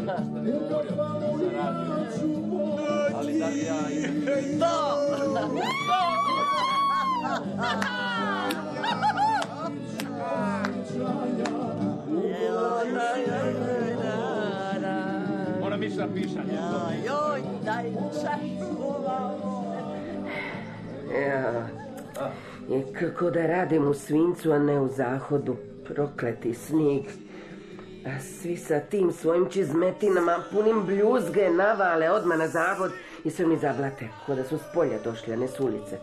Znaš da ne govorio za radio. Ali da li ja imam... Moram ići na pišanje. Joj, daj čašu. Kako da radim u svincu, a ne u zahodu. Prokleti snijeg. A svi sa tim svojim čizmetinama punim bljuzge navale odmah na zavod i sve mi zablate, ko da su s polja došli, a ne s ulice.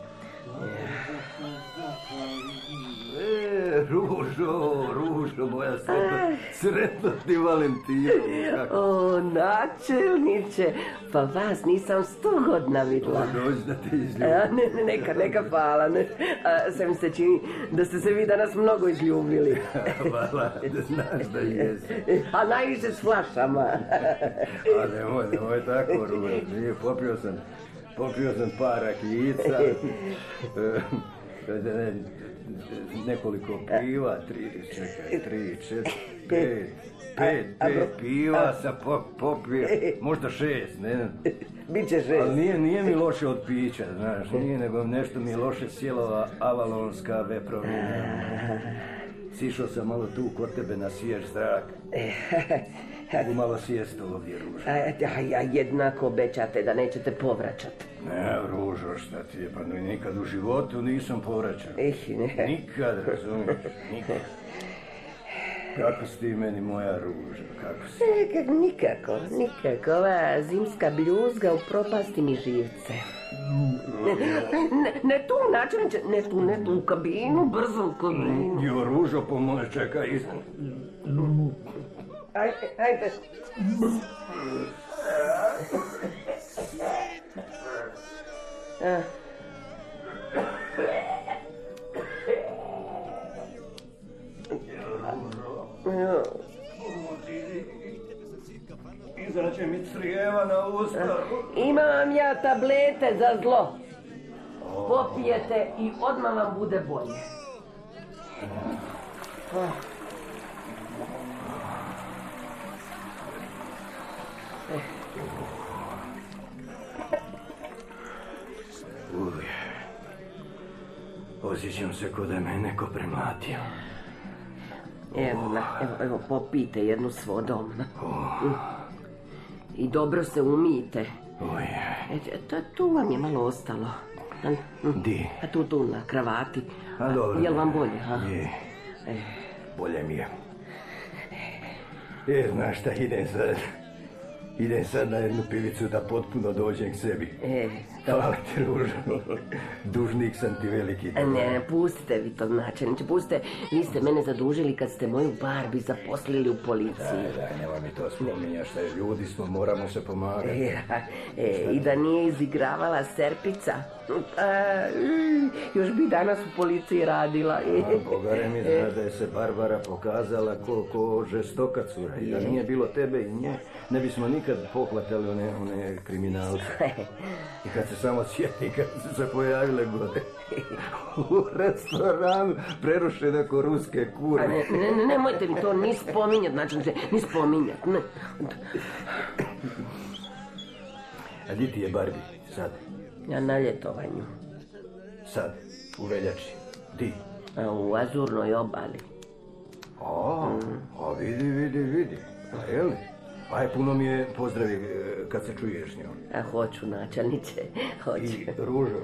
Ružo, moja sretno ti Valentino. O, načelniče, pa vas nisam 100 godina vidjela. Dođi da te izljubim. Neka, hvala. Sve mi se čini da ste se vi danas mnogo izljubili. Hvala, da znaš da jesi. A najviše s flašama. A nemoj tako, Ružo. Popio sam par rakijica. Nekoliko piva, 3, 4, 5 piva sam popio, možda 6, ne? Biće 6. Ali nije mi loše od pića, znaš, nije, nego nešto mi je loše sjela avalonska veprovina. Sišao sam malo tu kod tebe na svjež zrak. Mogu malo sjesti ovdje, Ružo. A jednako obećate da nećete povraćati. Ne, Ružo, šta ti je, pa nikad u životu nisam povraćao. Nikad, razumiješ, nikad. Kako si ti meni, moja Ruža, kako si? Nikako, ova zimska bljuzga upropasti mi živce. Ne tu, načelniče, ne tu, u kabinu, brzo u kabinu. Jo, Ružo, pomoć, čekaj, izan. Ajde. Izaće mi crijeva na usta. Imam ja tablete za zlo. Popijete i odmah vam bude bolje. Osjećam se ko da me neko premlatio. Evo, popijte jednu s vodom. I dobro se umijte. Tu vam je malo ostalo. Di? A tu na kravati. Jel vam bolje? Je. Bolje mi je. Znaš šta, idem sad na jednu pivicu da potpuno dođem k sebi. Hvala ti, Ružo. Dužnik sam ti veliki. Ne, pustite vi to, načelniče, pustite. Vi ste mene zadužili kad ste moju Barbi zaposlili u policiji. Da, nema mi to spominja, šta je, ljudi smo, moramo se pomagati. I da nije izigravala Serpica, još bi danas u policiji radila. Bogare mi zna da je se Barbara pokazala ko žestoka cura. I da nije bilo tebe i nje, ne bismo nikad pohvatali one kriminalce. I kad se samo sjeti, kad su se pojavile gore u restoranu, prerušene ko ruske kure. Nemojte mi to ni spominjati, znači ni spominjati. A di ti je Barbie sad? Ja na ljetovanju. Sad, u veljači. Di? U Azurnoj obali. A vidi. A je li? Aj, puno mi je pozdravi kad se čuješ s njom. A hoću, načelniče, hoću. I Ružo,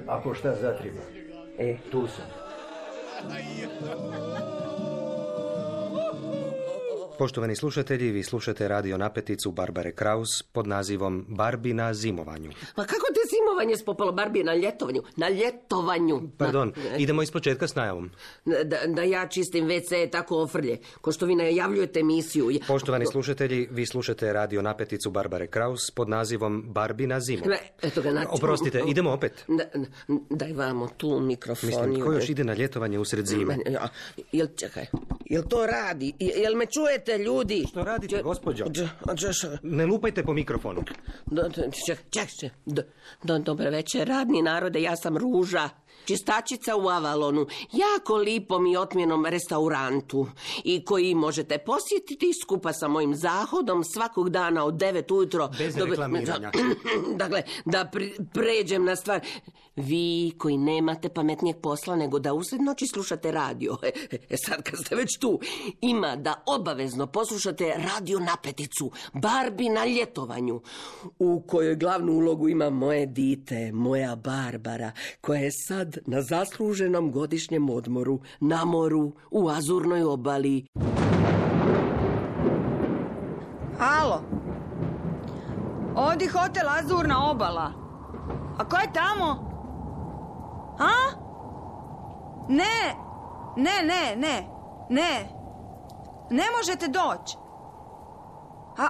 ako šta zatriba, tu sam. Poštovani slušatelji, vi slušate radio napeticu Barbare Kraus pod nazivom Barbi na zimovanju. Pa kako te zimovanje spopalo Barbi na ljetovanju? Na ljetovanju. Pardon, idemo ispočetka s najavom. Da ja čistim WC tako ofrlje, ko što vi najavljujete emisiju. Poštovani slušatelji, vi slušate radio napeticu Barbare Kraus pod nazivom Barbi na zimovanju. Eto ga, Oprostite, idemo opet. Daj vamo tu mikrofon. Mislim, ko još ide na ljetovanje usred zime? Čekaj, jel to radi? Jel me čujete, ljudi? Što radite, gospođo? Ne lupajte po mikrofonu. Čekaj. Dobar večer, radni narode, ja sam Ruža. Čistačica u Avalonu, jako lipom i otmjenom restaurantu i koji možete posjetiti skupa sa mojim zahodom svakog dana od 9 ujutro. Bez reklamiranja. Dakle, da pređem na stvar. Vi koji nemate pametnijeg posla nego da usred noći slušate radio. Sad kad ste već tu, ima da obavezno poslušate Radio Napeticu, Barbi na ljetovanju, u kojoj glavnu ulogu ima moje dite, moja Barbara, koja je sad na zasluženom godišnjem odmoru, na moru, u Azurnoj obali. Alo, ovdje hotel Azurna obala. A ko je tamo? A? Ne, ne možete doći. A,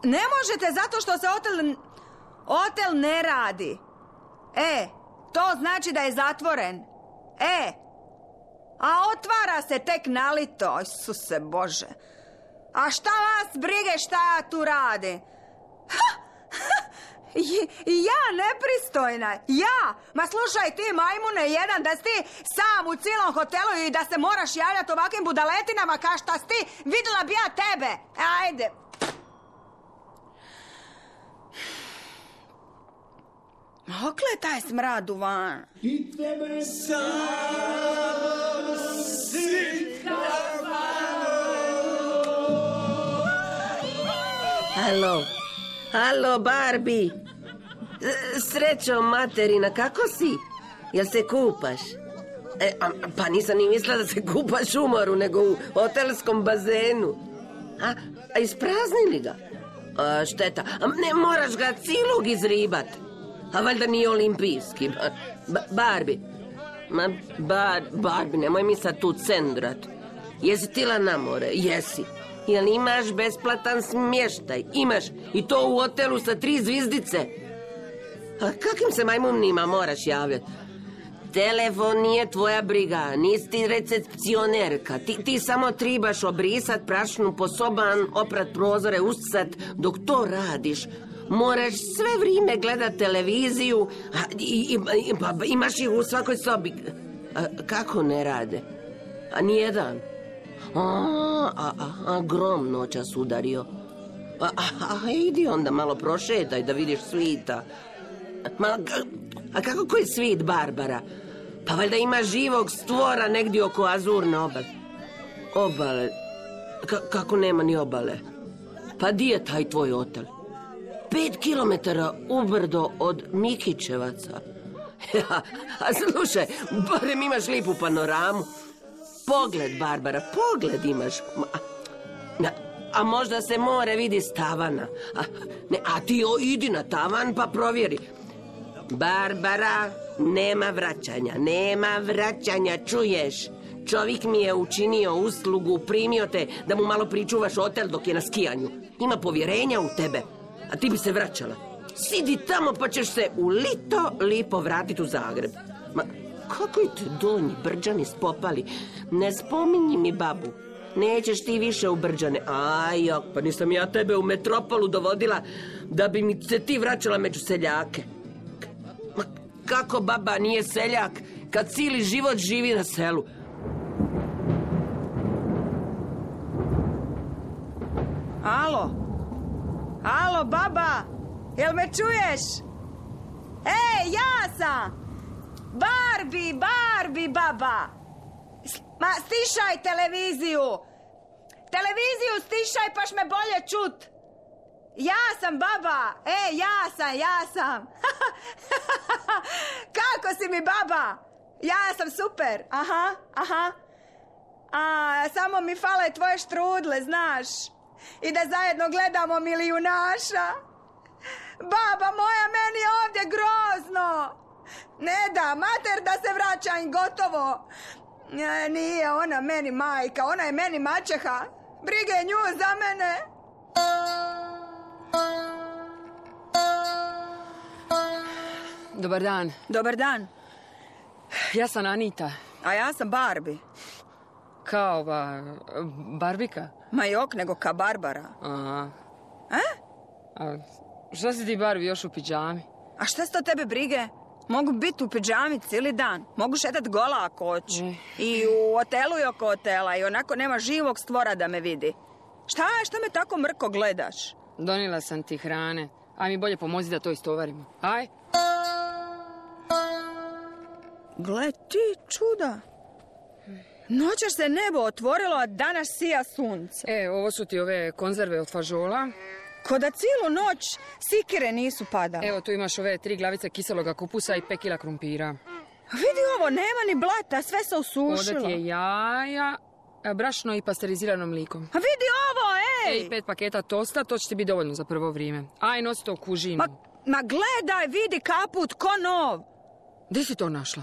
ne možete zato što se hotel ne radi. To znači da je zatvoren. A otvara se tek nalito, Isuse Bože. A šta vas brige šta ja tu radim? Ja nepristojna, ja. Ma slušaj ti majmune jedan, da si ti sam u cijelom hotelu i da se moraš javljati ovakvim budaletinama kao šta si ti, vidjela bi ja tebe. Ajde. Okle je taj smrad uvan? I tebe sam sitka. Halo, Barbie. Srećo, materina, kako si? Jel se kupaš? Pa nisam ni mislila da se kupaš u moru, nego u hotelskom bazenu. A ispraznili ga? Šteta. Ne, moraš ga cilog izribat. A valjda nije olimpijski. Barbie. Barbie, nemoj mi sad tu cendrat. Jesi tila na more? Jesi. Jel imaš besplatan smještaj? Imaš. I to u hotelu sa 3 zvizdice. A kakim se majmunima moraš javljati? Telefon nije tvoja briga, nisi ti recepcionerka. Ti samo tribaš obrisat prašnu po soban, oprat prozore, uscat. Dok to radiš, moraš sve vrijeme gledat televiziju, imaš ih u svakoj sobi. Kako ne rade? A nijedan. Grom noćas udario. Idi onda malo prošetaj da vidiš svita. A kako koji svit, Barbara? Pa valjda ima živog stvora negdje oko Azurne obale. Obale? Kako nema ni obale? Pa di je taj tvoj hotel? 5 kilometara ubrdo od Mikićevaca. A slušaj, barem imaš lipu panoramu. Pogled, Barbara, pogled imaš. A možda se more vidi s tavana. A ti idi na tavan pa provjeri. Barbara, nema vraćanja, čuješ? Čovjek mi je učinio uslugu, primio te da mu malo pričuvaš hotel dok je na skijanju. Ima povjerenja u tebe, a ti bi se vraćala. Sidi tamo pa ćeš se u lipo vratiti u Zagreb. Ma, kako te donji Brđani spopali? Ne spominji mi babu. Nećeš ti više u Brđane. Ajok, pa nisam ja tebe u metropolu dovodila da bi mi se ti vraćala među seljake. Ma, kako baba nije seljak kad cijeli život živi na selu? Alo, baba, jel me čuješ? Ja sam! Barbie, baba! Ma, stišaj televiziju! Televiziju stišaj paš me bolje čut! Ja sam, baba! Ja sam! Kako si mi, baba? Ja sam super! Aha. Samo mi fale tvoje štrudle, znaš? I da zajedno gledamo Milijunaša. Baba moja, meni je ovdje grozno. Ne da, mater da se vraćam, gotovo. Nije ona meni majka, ona je meni maćeha. Brige nju za mene. Dobar dan. Dobar dan. Ja sam Anita. A ja sam Barbie. Kao Barbika? Ma jok, nego ka Barbara. Aha. A šta si ti, Barbie, još u pidžami? A šta sto tebe brige? Mogu biti u pidžami cijeli dan. Mogu šetat gola ako hoću. I u hotelu i oko hotela. I onako nema živog stvora da me vidi. Šta me tako mrko gledaš? Donijela sam ti hrane. Aj mi bolje pomozi da to istovarimo. Aj. Gle ti čuda. Noćas se nebo otvorilo, a danas sija sunce. Ovo su ti ove konzerve od fažola. Ko da cijelu noć sikire nisu padale. Evo, tu imaš ove 3 glavice kiseloga kupusa i 5 kila krumpira. Vidi ovo, nema ni blata, sve se osušilo. Ovdje ti je jaja, brašno i pasterizirano mlikom. A vidi ovo, ej! 5 paketa tosta, to će ti biti dovoljno za prvo vrijeme. Aj, nosi to u kužinu. Ma gledaj, vidi kaput, ko nov. Gdje si to našla?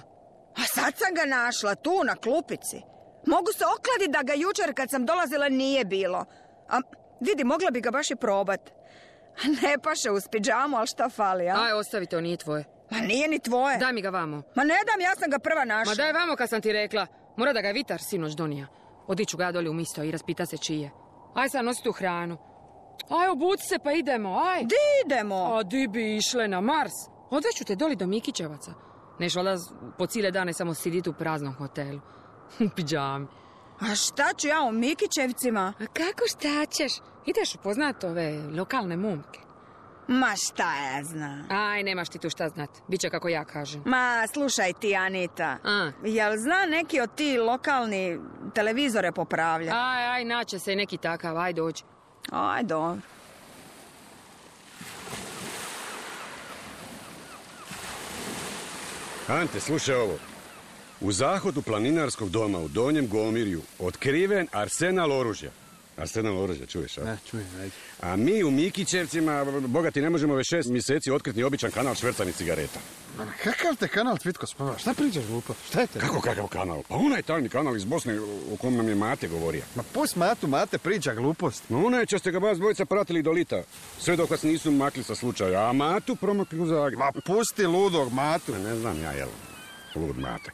A sad sam ga našla, tu, na klupici. Mogu se okladiti da ga jučer kad sam dolazila nije bilo. A vidi, mogla bi ga baš i probat. Ne paše uz pidžamu, ali šta fali, a? Aj, ostavi to, nije tvoje. Ma nije ni tvoje. Daj mi ga vamo. Ma ne dam, ja sam ga prva našla. Ma daj vamo kad sam ti rekla. Mora da ga je Vitar sinoć donija. Odiću ga ja dolje u misto i raspita se čije. Aj sad nosi tu hranu. Aj, obuci se pa idemo, aj. Di idemo? A di bi išle na Mars? Odveću te doli do Mikićevaca. Neš valjda po cijele dane samo siditi u praznom hotelu. U pidžami. A šta ću ja u Mikićevcima? A kako šta ćeš? Ideš upoznat ove lokalne momke. Ma šta ja znam. Aj, nemaš ti tu šta znat. Biće kako ja kažem. Ma, slušaj ti, Anita. Jel zna neki od ti lokalni televizore popravlja? Aj, naće se neki takav, aj dođi. Aj, dobro. Ante, slušaj ovo. U zahodu planinarskog doma u Donjem Gomirju otkriven arsenal oružja. Arsenal oružja, čuješ, a? Ne, čujem, ajde. A mi u Mikićevcima, bogati, ne možemo već 6 mjeseci otkriti običan kanal švercanih cigareta. Ma kakav te kanal, Cvitko, spava? Šta pričaš, glupo? Šta je te? Kako kakav kanal? Pa onaj tajni kanal iz Bosne o kom nam je Mate govorio. Ma pust Mate priča glupost. No onaj će ste ga vas dvojica pratili do lita. Sve dok vas nisu makli sa slučaja, a Matu promakli u Zagreb. Ma pusti ludog Matu. Ne znam ja, jel? Lud Mate.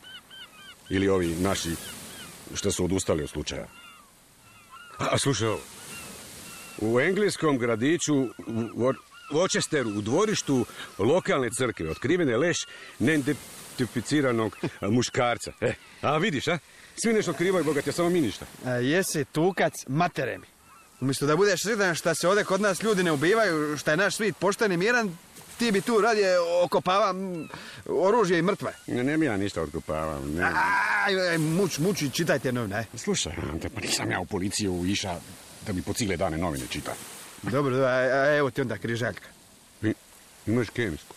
Ili ovi naši što su odustali od slučaja. A slušaj ovo. U engleskom gradiću u Worcesteru, u dvorištu lokalne crkve, otkriven je leš neidentificiranog muškarca. A vidiš, a? Svi nešto otkrivaju, bogat, ja samo mi ništa. Jesi tukac matere mi. Umjesto da budeš sretan šta se ovdje kod nas ljudi ne ubivaju, šta je naš svit pošten i miran, ti bi tu radije okopava oružje i mrtve. Ne bi ja ništa otkopavam. Aj, muči, čitajte novine. Slušaj, Ante, pa nisam ja u policiju iša da bi po cijele dane novine čita. Dobro, a evo ti onda križaljka. Imaš kemijsku?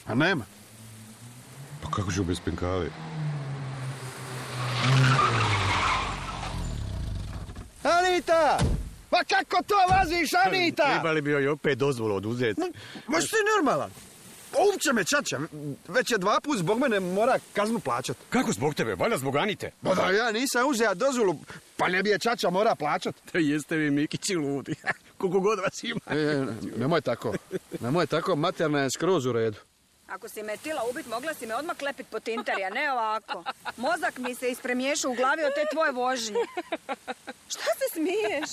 A nema. Pa kako ću bez penkale? Anita! Pa kako to vaziš, Anita? Trebali bi joj opet dozvolu oduzeti. Ma što je normalan? Upće me čača. Već je 2 put zbog mene mora kaznu plaćat. Kako zbog tebe? Valjda zbog Anite? Pa da ja nisam uzeo dozvolu, pa ne bi je čača mora plaćat. Da jeste vi Mikići ludi. Koliko god vas ima. Nemoj tako, materna je skroz u redu. Ako si me tila ubit, mogla si me odmah klepit po tinterija, ne ovako. Mozak mi se ispremiješao u glavi od te tvoje vožnje. Šta se smiješ?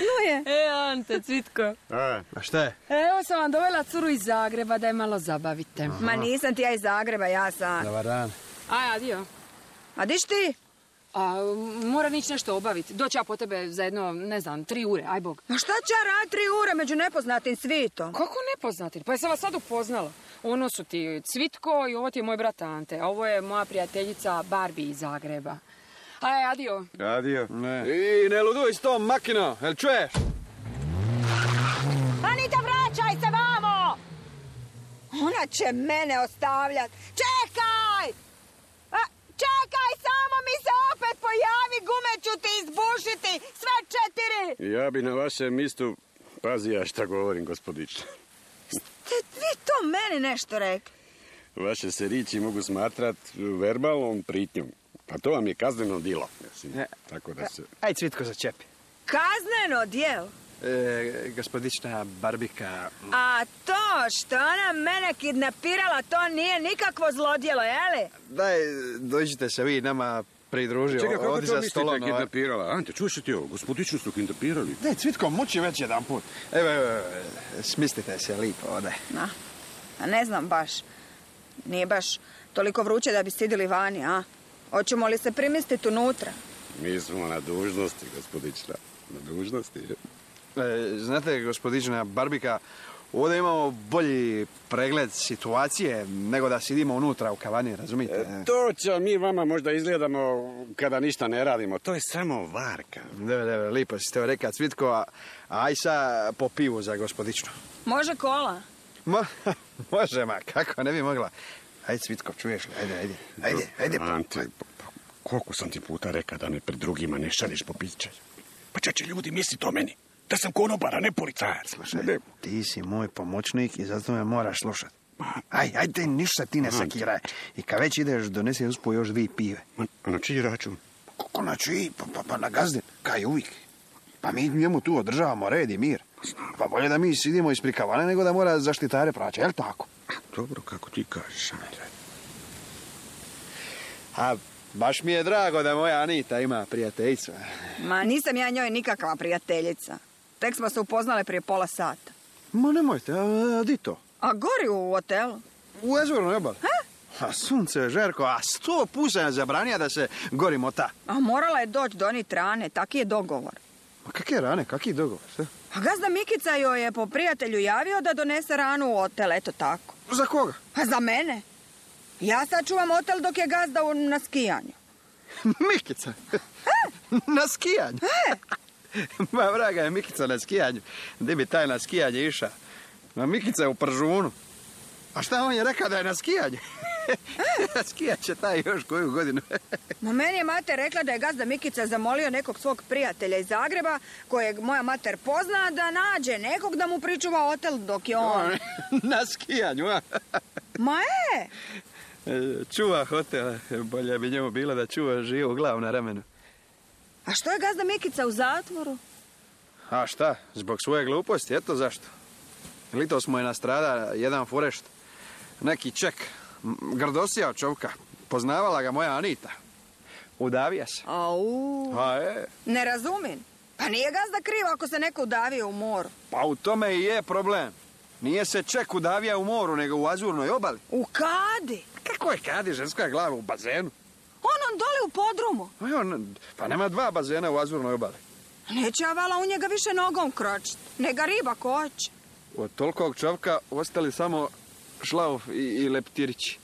Luje. Ante, Cvitko. A šta je? Evo sam vam dovela curu iz Zagreba da je malo zabavite. Ma nisam ti ja iz Zagreba, ja sam. Dobar dan. Aj, adio. A diš ti? Moram ići nešto obaviti. Doći ja po tebe za jedno, ne znam, 3 ure, aj bog. Ma šta će ja raditi 3 ure među nepoznatim svitom? Kako nepoznatim? Pa jesam vas sad upoznala. Ono su ti Cvitko i ovo ti je moj brat Ante. A ovo je moja prijateljica Barbie iz Zagreba. Aj, adio. Adio. Ne. I ne luduj s tom makino, jel čuješ? Anita, vraćaj se vamo! Ona će mene ostavljat. Čekaj! Čekaj, samo mi se opet pojavi, gume ću ti izbušiti, sve 4! Ja bi na vašem mjestu pazija šta govorim, gospodiče. Ste vi to meni nešto rekli? Vaše se riječi mogu smatrat verbalnom pritnjom. Pa to vam je kazneno djelo. Tako da se... Aj, Cvitko, začepi. Kazneno djelo? Gospodična Barbika... A to što ona mene kidnapirala, to nije nikakvo zlodjelo, jeli? Daj, dođite se vi nama pridružio. Čekaj, kako to mislite kidnapirala? Ante, čuješ ti ovo? Gospodičnu su kidnapirali. Daj, Cvitko, muči već jedan put. Evo, smislite se lipo ovdje. A ne znam baš. Nije baš toliko vruće da bi sidili vani, a? Hoćemo li se primistiti unutra? Mi smo na dužnosti, gospodična. Na dužnosti. Znate, gospodična Barbika, ovdje imamo bolji pregled situacije nego da sidimo unutra u kavani, razumijete? To će mi vama možda izgledamo kada ništa ne radimo. To je samo varka. Deve, lipo si to reka, Cvitko, aj sa po pivu za gospodičnu. Može kola? Može, ma, kako ne bi mogla. Ajde, Cvitko, čuješ li? Ajde. Ante, koliko sam ti puta rekao da me pred drugima ne šalješ po piće? Pa će ljudi misliti o meni. Da sam konobara, ne policajac. Slušaj, ti si moj pomoćnik i zato me moraš slušati. Ajde, ništa ti ne sakiraj. I kad već ideš, donesi uspo još 2 pive. A na čiji račun? Kako na čiji? Pa na gazdin, kaj uvijek. Pa mi njemu tu održavamo red i mir. Pa bolje da mi sidimo ispred kavane nego da mora zaštitare praća, jel tako? Dobro, kako ti kažeš, Andrej. A baš mi je drago da moja Anita ima prijateljicu. Ma nisam ja njoj nikakva prijateljica. Tek smo se upoznale prije pola sata. Ma nemojte, a di to? A gori u hotelu. U Azurnoj obali. A sunce, Žerko, a 100 puta je zabranija da se gori mota. A morala je doći donit rane, taki je dogovor. Ma kakve rane, kaki dogovor, sve? A gazda Mikica joj je po prijatelju javio da donese ranu u hotel, eto tako. Za koga? A za mene. Ja sad čuvam hotel dok je gazda na skijanju. Mikica? Na skijanju? Ma vraga je Mikica na skijanju. Gdje bi taj na skijanje iša? Ma Mikica je u Pržunu. A šta on je rekao da je na skijanju? Skijat će taj još koju godinu. Ma meni je mater rekla da je gazda Mikica zamolio nekog svog prijatelja iz Zagreba, kojeg moja mater pozna, da nađe nekog da mu pričuva hotel dok je on... Na skijanju, a? Ma je! Čuva hotel. Bolje bi njemu bilo da čuva živu glavu na ramenu. A što je gazda Mikica u zatvoru? A šta? Zbog svoje gluposti, eto zašto. Litos mu je nastrada jedan forešt. Neki Ček. Grdosija čovka. Poznavala ga moja Anita. Udavija se. Au. A je. Ne razumim. Pa nije gazda krivo ako se neko udavio u moru. Pa u tome i je problem. Nije se Ček udavija u moru, nego u Azurnoj obali. U kadi? Kako je kadi, ženska glava u bazenu? On dole u podrumu. Pa nema 2 bazena u Azurnoj obali. Neće ja vala u njega više nogom kročiti. Nega riba koće. Od tolikog čovka ostali samo Šlauf i Leptirići.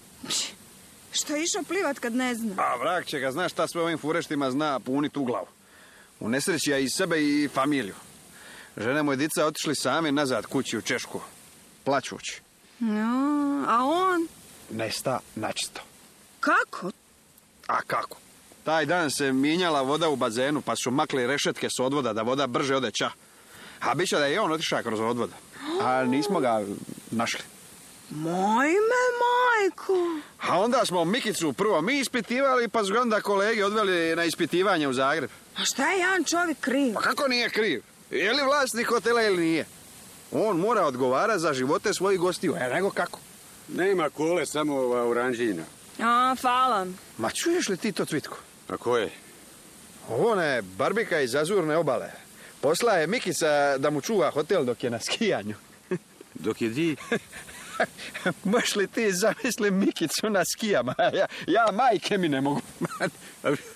Što je išao plivat kad ne zna? A vrag će ga, znaš šta sve ovim fureštima zna punit u glavu. U nesreći ja i sebe i familiju. Žene moje dica otišli sami nazad kući u Češku. Plaćući. No, a on? Nesta načisto. Kako? A kako? Taj dan se minjala voda u bazenu, pa su makli rešetke s odvoda da voda brže ode ča. A biće da je on otišao kroz odvoda. A nismo ga našli. Mojme majko. A onda smo Mikicu prvo mi ispitivali, pa su onda kolege odveli na ispitivanje u Zagreb. A šta je jedan čovjek kriv? Pa kako nije kriv? Je li vlasnik hotela ili nije? On mora odgovara za živote svojih gostiju, nego kako? Nema kole, samo ova oranžina. A, hvala. Ma čuješ li ti to, Cvitko? A ko je? Ona je Barbika iz Azurne obale. Posla je Mikica da mu čuva hotel dok je na skijanju. Dok je di? Možeš li ti zamisli Mikicu na skijama? Ja majke mi ne mogu.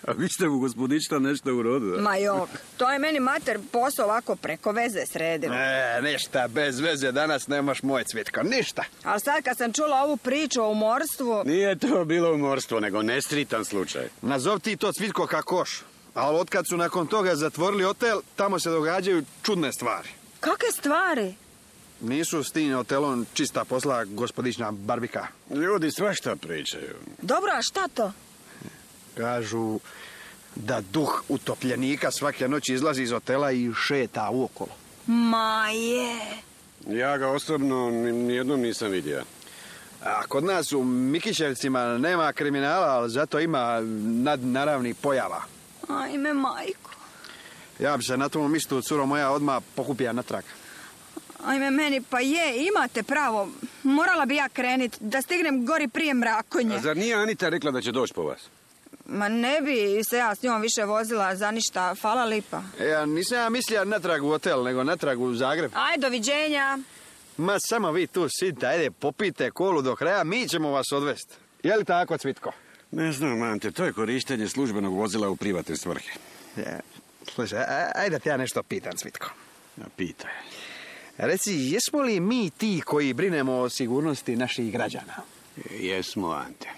A vi ste mu gospodična nešto urodila? Ma jok, to je meni mater posao ovako preko veze sredila. Ništa, bez veze danas nemaš moj Cvitko, ništa. Ali sad kad sam čula ovu priču o umorstvu... Nije to bilo umorstvo, nego nesritan slučaj. Nazov ti to, Cvitko, kakoš. Ali otkad su nakon toga zatvorili hotel, tamo se događaju čudne stvari. Kakve stvari? Nisu s tim hotelom čista posla, gospodična Barbika. Ljudi svašta pričaju. Dobro, a šta to? Kažu da duh utopljenika svake noći izlazi iz hotela i šeta uokolo. Ma je. Ja ga osobno nijednom nisam vidio. A kod nas u Mikićevcima nema kriminala, ali zato ima nadnaravnih pojava. Ajme, majko. Ja bi se na tom mjestu, curo moja, odmah pokupija natrag. Ajme, meni pa je, imate pravo. Morala bi ja krenit, da stignem gori prije mrakonje. A zar nije Anita rekla da će doći po vas? Ma ne bi se ja s njom više vozila za ništa, fala lipa. Ja nisam ja mislila natrag u hotel, nego natrag u Zagreb. Aj, doviđenja. Ma samo vi tu sidite, ajde popijte kolu do kraja, mi ćemo vas odvesti. Je li tako, Cvitko? Ne znam, Ante, to je korištenje službenog vozila u privatne svrhe. Slušaj, ajde da te ja nešto pitam, Cvitko. Ja, pitaj. Reci, jesmo li mi ti koji brinemo o sigurnosti naših građana? Jesmo, Ante.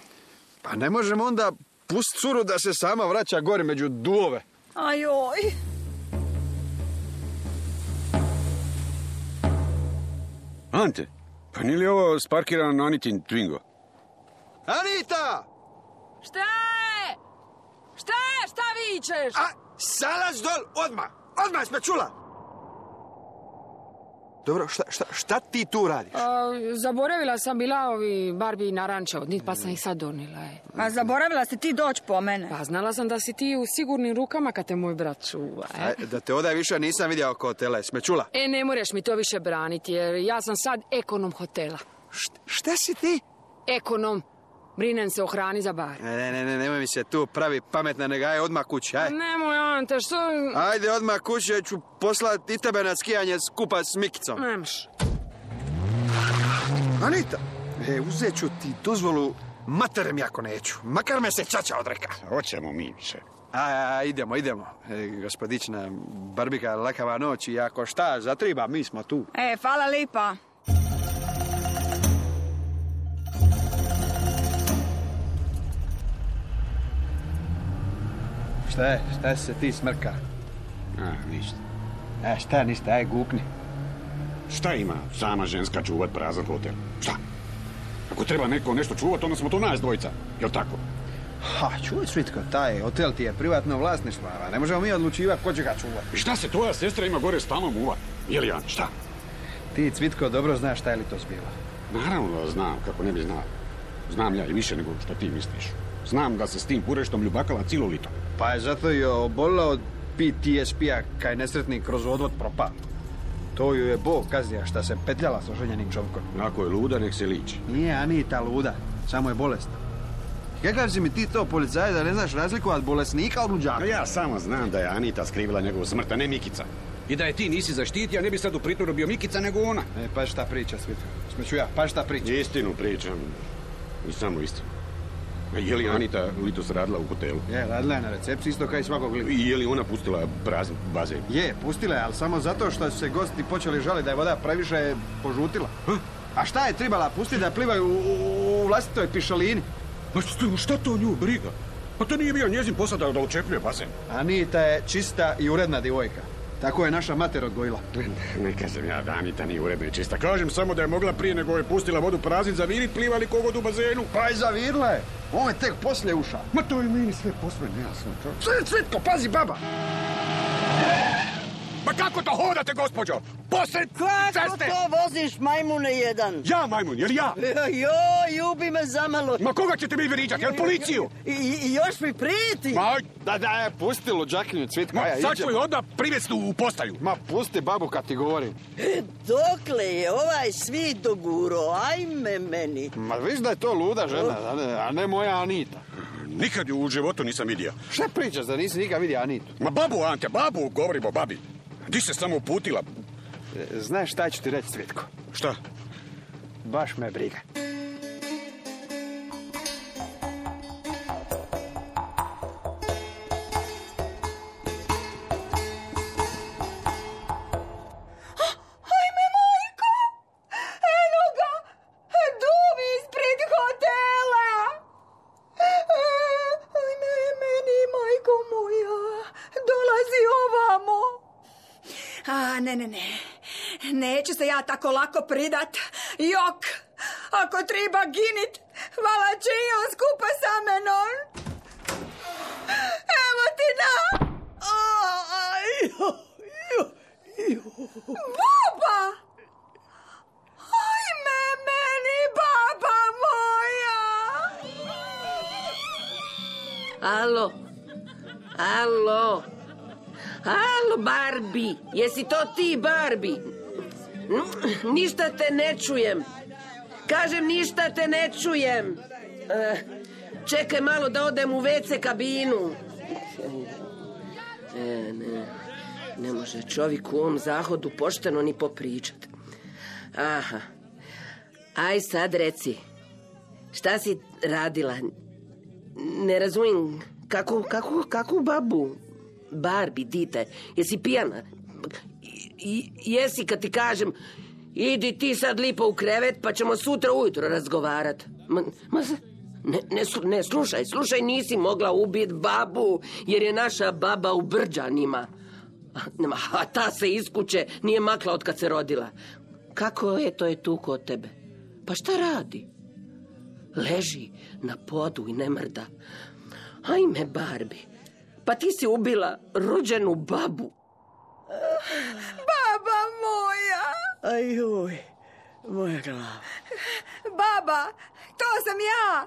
Pa ne možemo onda pust curu da se sama vraća gore među duvove. Ajoj. Ante, pa nije li ovo sparkirano na Anitin Twingo? Anita! Šta je? Šta je? Šta vičeš? Salaz dol, odmah sme čula. Dobro, šta ti tu radiš? Zaboravila sam bila ovi Barbie naranča, pa sam ih sad donila. A zaboravila si ti doći po mene. Pa znala sam da si ti u sigurnim rukama kad te moj brat čuva. Da te odaj više nisam vidio oko hotela, sme čula? Ne moraš mi to više braniti, jer ja sam sad ekonom hotela. Šta si ti? Ekonom. Brinem se o hrani za bar. Nemoj mi se tu pravi pametna, nego aj odmah kući, aj. Nemoj, Ante, što... Ajde odmah kući, ja ću poslati i tebe na skijanje skupa s Mikicom. Nemaš. Anita, uzet ću ti dozvolu, materem jako neću. Makar me se čača odreka. Hoćemo mi više. Idemo. Gospodična Barbika, lakava noć i ako šta zatriba, mi smo tu. Hvala lipa. Šta se ti smrka? Ništa. Šta ništa, aj gukni. Šta ima sama ženska čuvat prazan hotel? Šta? Ako treba neko nešto čuvat, onda smo to nas dvojica. Jel tako? Čuvaj, Svitko, taj hotel ti je privatno vlasništvo, a ne možemo mi odlučivati ko će ga čuvati. I šta se tvoja sestra ima gore stalno muva? Jel, Jan, šta? Ti, Cvitko, dobro znaš šta je li to zbilo. Naravno da znam, kako ne bi znao. Znam ja i više nego što ti misliš. Znam da se s tim pureštom ljubakala cijelo lito. Pa je zato i obolila od PTSP-a kaj nesretnik kroz odvod propao. To ju je Bog kaznija šta se petljala s oženjenim čovjekom. Ako je luda, nek se liči. Nije Anita luda, samo je bolesna. Kakav si mi ti to, policajac, da ne znaš razlikovati bolesnika od luđaka? Ja samo znam da je Anita skrivila njegovu smrt, a ne Mikica. I da je ti nisi zaštitio, a ne bi sad u pritvoru bio Mikica nego ona. Pa šta priča, Svitko? Smeću ja, pa šta priča? Istinu pričam. I samo istinu. Je li Anita litos radila u hotelu? Je, radila je na recepciji isto kao i svakog lita. I je li ona pustila prazan bazen? Je, pustila je, ali samo zato što su se gosti počeli žaliti da je voda previše požutila. A šta je trebala pustiti da plivaju u vlastitoj pišalini? Ma šta to nju briga? Pa to nije bio njezin posao da očepljuje bazen. Anita je čista i uredna djevojka. Tako je naša mater odgojila. Ne kažem ja da Anita nije uredna i čista. Kažem samo da je mogla prije nego je pustila vodu praznit zavirit, plivali kogod u bazenu. Pa i zavirila je. On je tek poslije ušao. Ma to je meni sve posve nejasno. Cvitko, pazi baba! Ma kako to hodate, gospođo? Posred ceste! Kako to voziš, majmune jedan? Ja, majmun, jer ja? Joj, ljubi me zamalo. Ma koga ćete mi vriđati, jel policiju? I još mi prijeti. Da, pusti luđakinju, Cvitko. Sad ću je odmah privesti u postaju. Ma, pusti babu kad ti govorim. Dokle je ovaj svijet doguro, ajme meni. Ma viš da je to luda žena, a ne moja Anita. Nikad ju u životu nisam vidio. Šta pričaš da nisi nikad vidio Anitu? Ma babu, Ante, babu, govorim o babi. Di se samo uputila? Znaš šta ću ti reći, Cvitko? Šta? Baš me briga. Ajme, majko! Eno ga! Duvi ispred hotela! Ajme, meni, majko moja! Dolazi ovamo! Ne. Neću se ja tako lako pridat. Jok! Ako treba ginit, vala će i on skupa sa menom. Evo ti na! Baba! Ajme meni, baba moja! Alo, Barbie, jesi to ti, Barbie? Ništa te ne čujem. Kažem, ništa te ne čujem. Čekaj malo da odem u WC kabinu. Ne može čovjek u ovom zahodu pošteno ni popričat. Aha. Aj sad reci, šta si radila? Ne razumijem, kakvu babu? Barbie, dite, jesi pijana? Jesi kad ti kažem, idi ti sad lipo u krevet pa ćemo sutra ujutro razgovarat. Ne, slušaj, nisi mogla ubiti babu jer je naša baba u Brđanima. A ta se iz kuće nije makla od kad se rodila. Kako je to je tu kod tebe? Pa šta radi? Leži na podu i ne mrda. Ajme, Barbie, pa ti si ubila rođenu babu. Baba moja! Ajuj, moja glava. Baba, to sam ja.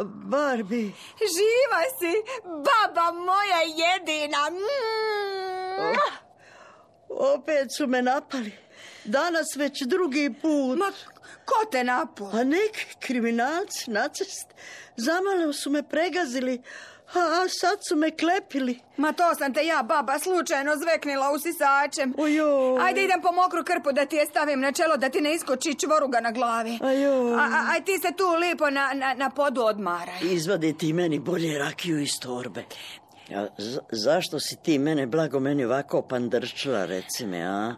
Barbie. Živa si, baba moja jedina. Opet su me napali. Danas već drugi put. Ma, ko te napao? A neki kriminalci, nacist. Zamalo su me pregazili, a sad su me klepili. Ma to sam te ja, baba, slučajno zveknila usisačem. Ojoj. Ajde idem po mokru krpu da ti je stavim na čelo, da ti ne iskoči čvoruga na glavi. Ojoj. Aj ti se tu lipo na podu odmaraj. Izvadi ti meni bolje rakiju iz torbe. Zašto si ti meni ovako pandrčila, reci mi, a?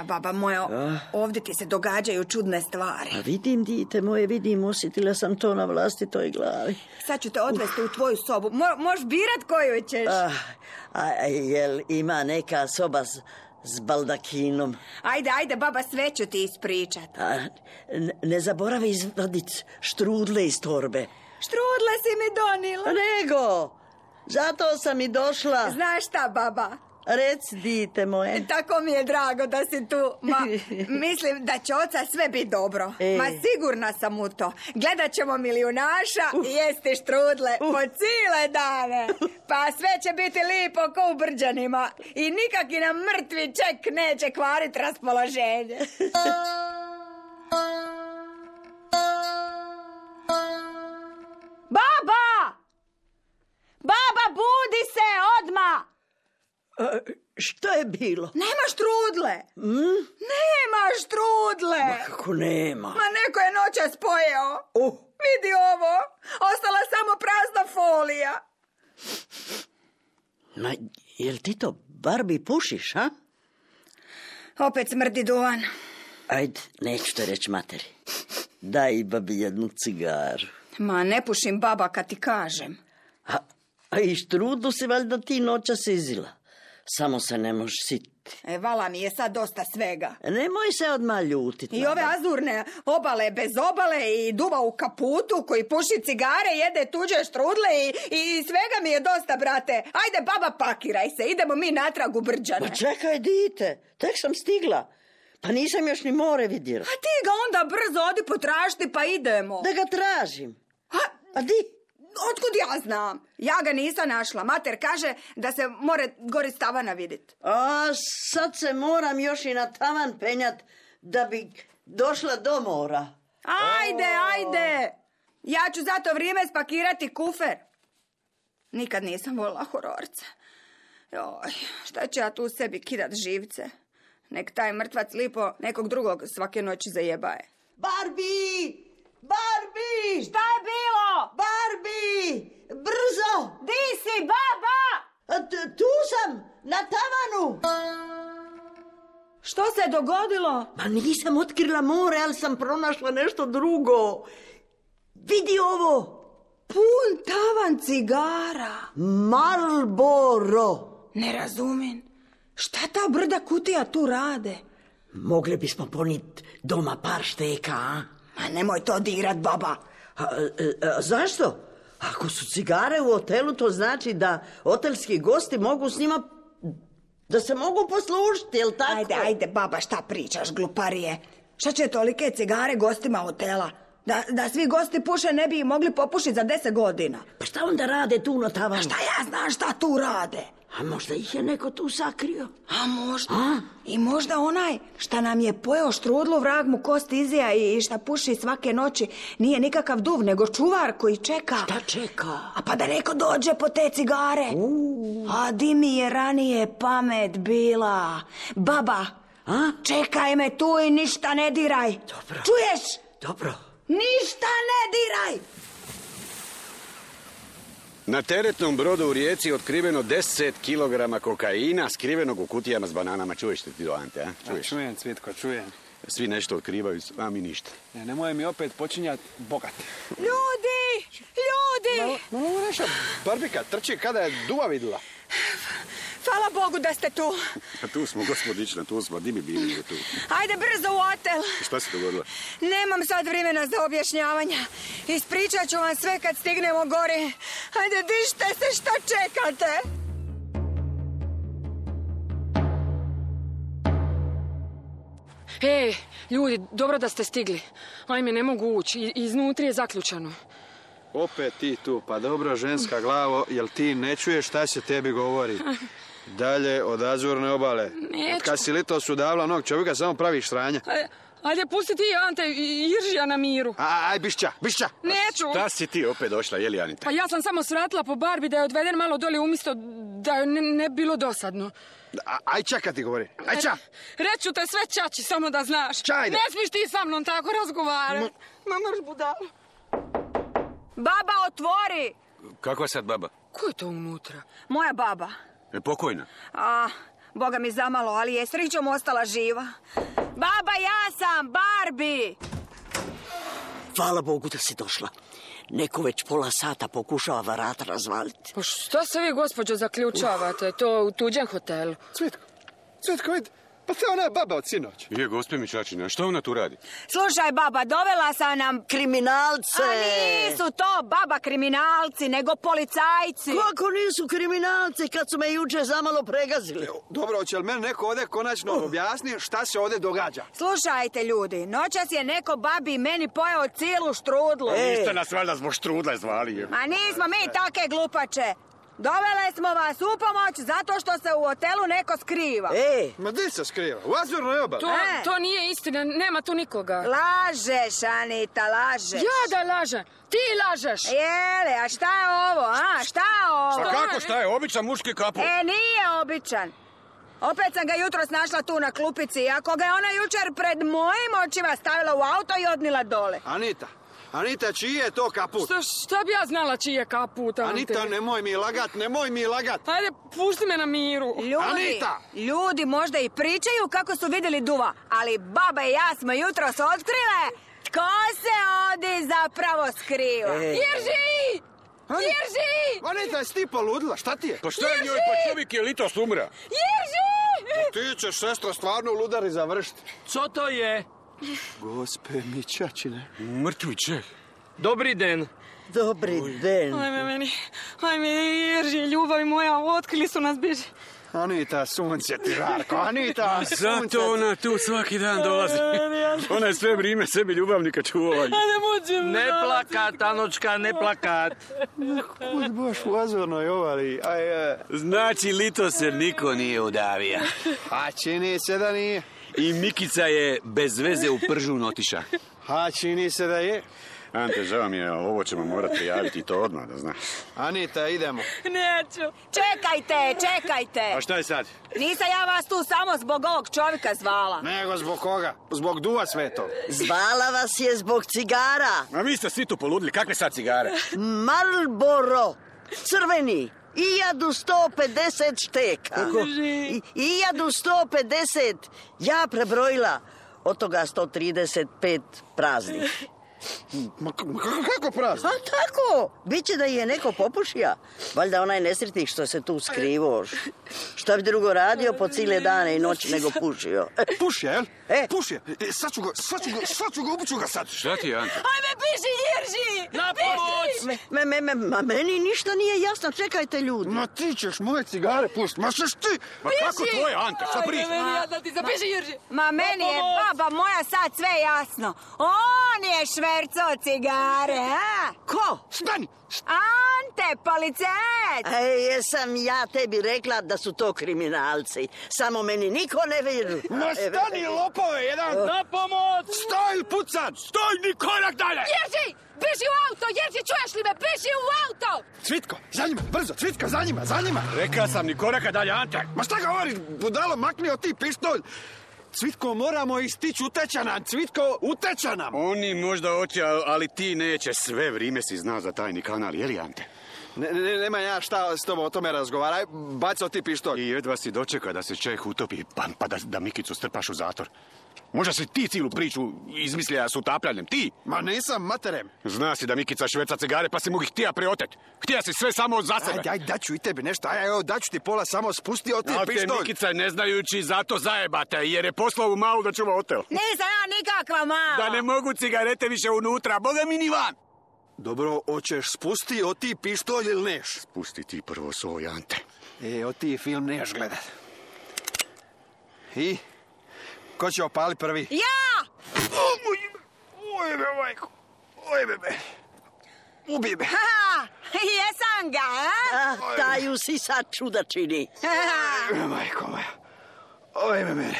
Baba moja, ovdje ti se događaju čudne stvari. A vidim, dite moje, osjetila sam to na vlastitoj glavi. Sad ću te odvesti u tvoju sobu. Možeš birat koju ćeš. Jel ima neka soba s baldakinom? Ajde, baba, sve ću ti ispričat. Ne zaboravi izvadit štrudle iz torbe. Štrudle si mi donila. Nego, zato sam i došla. Znaš šta, baba? Reci, dite moje. Tako mi je drago da si tu. Mislim da će oca sve biti dobro. Ma sigurna sam u to. Gledat ćemo Milijunaša i jesti štrudle po cijele dane. Pa sve će biti lipo ko u Brđanima. I nikaki nam mrtvi ček neće kvarit raspoloženje. Baba! Baba, budi se odmah! Što je bilo? Nema štrudle. Nema štrudle. Ma kako nema? Ma neko je noćas pojeo. Vidi ovo. Ostala samo prazna folija. Ma, jel ti to, Barbie, pušiš, a? Opet smrdi duvan. Ajde, neću te reći materi. Daj babi jednu cigaru. Ma ne pušim, baba, kad ti kažem. A i štrudlu si valjda ti noćas izila. Samo se ne možeš sititi. Vala mi je sad dosta svega. Nemoj se odmah ljutiti. I ove azurne obale bez obale i duva u kaputu koji puši cigare, jede tuđe štrudle i svega mi je dosta, brate. Ajde, baba, pakiraj se, idemo mi natrag u Brđane. Pa čekaj, dite, tek sam stigla. Pa nisam još ni more vidjela. A ti ga onda brzo odi potražiti pa idemo. Da ga tražim. A di? Otkud ja znam? Ja ga nisam našla. Mater kaže da se more gori s tavana vidit. A sad se moram još i na tavan penjat da bi došla do mora. Ajde. Ja ću za to vrijeme spakirati kufer. Nikad nisam volila hororca. Joj, šta ću ja tu sebi kidat živce? Nek taj mrtvac lipo nekog drugog svake noći zajebaje. Barbie! Barbie! Šta je bilo? Barbie! Brzo! Di si, baba? Tu sam, na tavanu. Što se je dogodilo? Ma nisam otkrila more, ali sam pronašla nešto drugo. Vidi ovo. Pun tavan cigara. Marlboro. Ne razumem. Šta ta brda kutija tu rade? Mogli bismo ponit doma par šteka, a? Ma nemoj to dirat, baba. Zašto? Ako su cigare u hotelu, to znači da hotelski gosti mogu s njima, da se mogu poslužiti, jel tako? Ajde, baba, šta pričaš, gluparije? Šta će tolike cigare gostima hotela? Da svi gosti puše ne bi mogli popušiti za 10 godina. Pa šta onda rade tu na tavanu? A šta ja znam šta tu rade? A možda ih je neko tu sakrio? A možda. I možda onaj šta nam je pojeo štrudlu, vrag mu kost izija i šta puši svake noći nije nikakav duv, nego čuvar koji čeka. Šta čeka? A pa da neko dođe po te cigare. A di mi je ranije pamet bila. Baba, A? Čekaj me tu i ništa ne diraj. Dobro. Čuješ? Dobro. Ništa ne diraj! Na teretnom brodu u Rijeci otkriveno 10 kilograma kokaina skrivenog u kutijama s bananama. Čuješ ti to, Ante, a? Čuješ? Čujem, Cvitko, čujem. Svi nešto otkrivaju, a mi ništa. Nemoj mi opet počinjati bogat. Ljudi! Malo naša Barbika trči kada je duva vidjela. Hvala Bogu da ste tu. A tu smo, gospodična, tu smo. Di mi bili tu? Ajde brzo u hotel. Šta se dogodilo? Nemam sad vremena za objašnjavanja. Ispričat ću vam sve kad stignemo gore. Ajde, dižte se, šta čekate? Ej, ljudi, dobro da ste stigli. Ajme, ne mogu ući. Iznutri je zaključano. Opet ti tu, pa dobro ženska glavo, jel ti ne čuješ šta se tebi govori? Dalje od Azurne obale. Neću. Od kad si lito su davla onog čovjeka, samo praviš sranja. Ajde, pusti ti, Ante, i Iržija na miru. Aj, bišća. Neću. Šta si ti opet došla, jeli, Anita? Pa ja sam samo svratila po Barbi da je odveden malo doli umjesto da joj ne bilo dosadno. Aj, čaka ti govori. Aj, ča. Reću te sve čači, samo da znaš. Čajde. Ne smiš ti sa mnom tako razgovarati. Ma mrš budala. Baba, otvori! Kakva sad baba? Ko je to unutra? Moja baba. Pokojna. Boga mi zamalo, ali je srećom ostala živa. Baba, ja sam Barbie! Hvala Bogu da si došla. Neko već pola sata pokušava vrata razvaliti. Pa šta se vi, gospođo, zaključavate? To u tuđem hotelu. Cvitko, vidi. Pa to je ona baba od sinoć. Je, gospe mi Čačina, što ona tu radi? Slušaj, baba, dovela sam nam... Kriminalce! A nisu to baba kriminalci, nego policajci. Kako nisu kriminalci kad su me jučer zamalo pregazili? Dobro, hoće li meni neko ovdje konačno objasni šta se ovdje događa? Slušajte, ljudi, noćas je neko babi meni pojeo cijelu štrudlu. Niste nas valjda zbog štrudle zvali. Ma nismo mi take glupače. Dovele smo vas u pomoć zato što se u hotelu neko skriva. Ma di se skriva? U Azurnoj obali. To nije istina, nema tu nikoga. Lažeš, Anita, lažeš. Ja da lažem, ti lažeš. Jele, a šta je ovo, a? Šta je ovo? Šta kako, šta je? Običan muški kaput. Nije običan. Opet sam ga jutros našla tu na klupici, ako ga je ona jučer pred mojim očima stavila u auto i odnila dole. Anita, čiji je to kaput? Šta bi ja znala čiji je kaput, Ante? Anita, nemoj mi lagat. Ajde, pušti me na miru. Ljudi možda i pričaju kako su vidjeli duva, ali baba i ja smo jutros otkrile tko se ovdje zapravo skriva. Irži! Anita, jesi ti poludila? Šta ti je? Pa šta je njoj, pa čovjek je litos umra. Irži! Ti ćeš, sestro, stvarno u ludari završiti. Co to je? Gospe mi Čačine. Mrtvi Čeh. Dobri den. Dobri den. Ajme, Irži, ljubavi moja, otkrili su nas, biži. Anita, sunce ti žarko, Anita, sunce. Zato ona tu svaki dan dolazi. Ona je sve vrijeme sebi ljubavnika čuvala. Ne plakat, Anočka, ne plakat. Kud baš u Azurnoj obali. Znači, lito se niko nije udavio. A čini se da nije. I Mikica je bez veze u Pržun otiša. A čini se da je. Ante, žao mi je, ovo ćemo morati prijaviti to odmah, da znaš. Anita, idemo. Neću. Čekajte. A šta je sad? Nisam ja vas tu samo zbog ovog čovjeka zvala. Nego zbog koga? Zbog duva svetog. Zvala vas je zbog cigara. A vi ste svi tu poludili, kakve sad cigare? Marlboro, crveni. 1150 šteka. Koliko? 1150. Ja prebrojila. Od toga 135 praznih. Kako prazno? A tako, biće da je neko popušija. Valjda onaj nesretnik što se tu skrivo. Šta bi drugo radio po cijele dane i noći nego pušio. Pušija, jel? Pušija. Sad ću ga upuću ga sad. Šta ti je, Ante? Ajme, piši, Irži! Na pomoć! Meni ništa nije jasno, čekajte ljudi. Ma ti ćeš moje cigare pustiti, ma šeš ti? Ma kako tvoje, Ante, šta priča? Ja da ti zapiši, Irži. Ma meni je baba moja sad sve jasno. On je švercao cigare, a? Ko? Stani! Ante, policajac! Jesam ja tebi rekla da su to kriminalci. Samo meni niko ne vjeruje. Ma stani, lopove, jedan! Na pomoć! Stoj ili pucan! Stoj, ni korak dalje! Irži, piši u auto, Irži, čuješ li me? Piši u auto! Cvitko, za njima, brzo, Cvitka, za njima! Rekao sam ni koraka dalje, Ante! Ma šta govoriš, budalo, makni od ti pištolj! Cvitko, moramo istići, uteća nam, Cvitko, uteća nam. Oni možda hoće, ali ti neće. Sve vrijeme si zna za tajni kanal, je li, Ante? Nema ja šta s tobom o tome razgovaraj, bacao ti pištolj. I jedva si dočeka da se čovjek utopi, pa da Mikicu strpaš u zatvor. Možda si ti cijelu priču izmislija s utapljanjem, ti? Ma nisam, materem. Zna si da Mikica šverca cigare, pa si mu ih htija preotet. Htija si sve samo za sebe. Aj, daću i tebi nešto, evo, daću ti pola, samo spusti od ti pištolj. Mikica ne znajući zato zajebate, jer je poslao u malu da čuva hotel. Nisam ja nikakva mala. Da ne mogu cigarete više unutra, boga mi ni van. Dobro, hoćeš spusti od ti pištolj ili neš? Spusti ti prvo svoj, Ante. Od ti film neš gledat. I? Ko će opali prvi? Ja! Oj me, majko. Oj me. Ubij me. Ha, jesam ga, a? Taju si sad čuda čini. Majko moja. Oj me mene.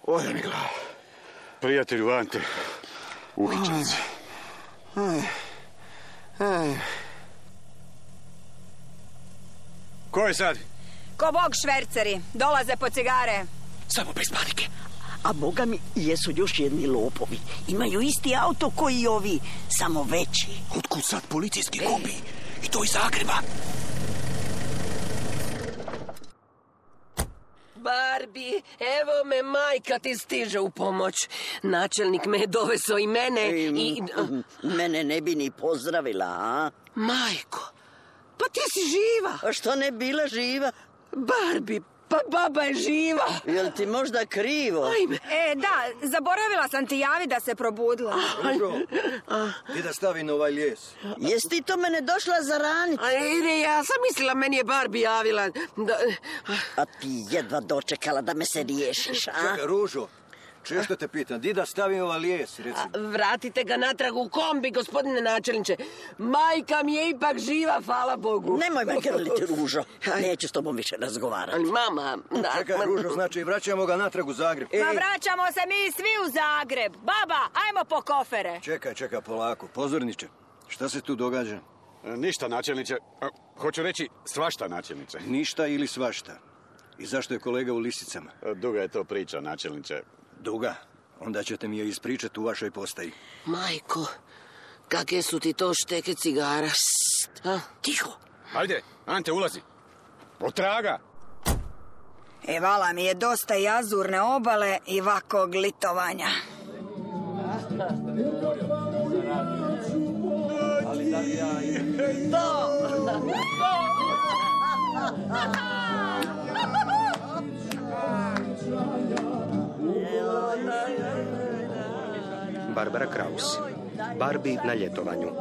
Ode mi glava. Prijatelju Ante, uhićen si. Ko je sad? Ko bog šverceri, dolaze po cigare. Samo bez panike. A boga mi, jesu još jedni lopovi. Imaju isti auto koji i ovi, samo veći. Otkud sad policijski kombi? I to iz Zagreba. Barbie, evo me, majka ti stiže u pomoć. Načelnik me je doveso i mene i... Mene ne bi ni pozdravila, a? Majko, pa ti si živa. A što ne bila živa? Barbie, pa baba je živa. Jel ti možda krivo? Ajme. Da, zaboravila sam ti javi da se probudila. Dobro, ti da stavi na ovaj lijes. Jesi ti to mene došla zaraniti? Ne, ja sam mislila, meni je Barbie javila. A ti jedva dočekala da me se riješiš, a? Čekaj, Ružo, često te pitam, di da stavim ovaj lijes, recimo? Vratite ga natrag u kombi, gospodine načelniče. Majka mi je ipak živa, hvala Bogu. Nemoj me grliti, Ružo. Neću s tobom više razgovarati. Ali mama... Čekaj, Ružo, znači vraćamo ga natrag u Zagreb. Pa vraćamo se mi svi u Zagreb. Baba, ajmo po kofere. Čekaj, polako. Pozorniče, šta se tu događa? Ništa, načelniče. Hoću reći svašta, načelniče. Ništa ili svašta. I zašto je kolega u lisicama? Duga je to priča, načelniče. Duga? Onda ćete mi je ispričati u vašoj postaji. Majko, kakve su ti to šteke cigara? Tiho. Ajde, Ante, ulazi. Otraga. Vala mi je dosta i azurne obale i vakog litovanja. Ali da li ja... Barbara Kraus. Barbie na ljetovanju.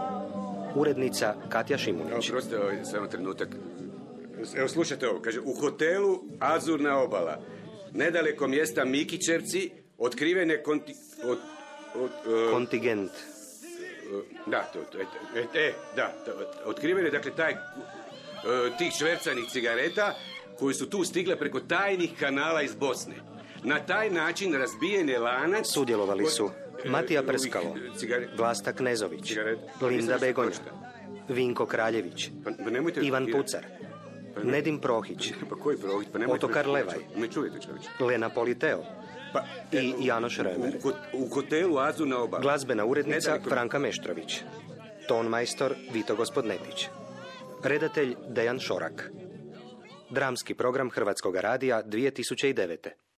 Urednica Katja Šimunić. Oprostite, samo trenutak. Evo, slušajte ovo. Kaže, u hotelu Azurna obala, nedaleko mjesta Mikićevci, otkrivene kontingent. Da, otkrivene, dakle, tih švercanih cigareta koji su tu stigle preko tajnih kanala iz Bosne. Na taj način razbijen je lanac... Sudjelovali su Matija Prskalo, Vlasta Knezović, Linda Begonja, Vinko Kraljević, Ivan Pucar, Nedim Prohić, Otokar Levaj, Lena Politeo i Janoš Remer. U hotelu Azurna obala. Glazbena urednica Franka Meštrović. Tonmajstor Vito Gospodnetić. Redatelj Dejan Šorak. Dramski program Hrvatskog radija 2009.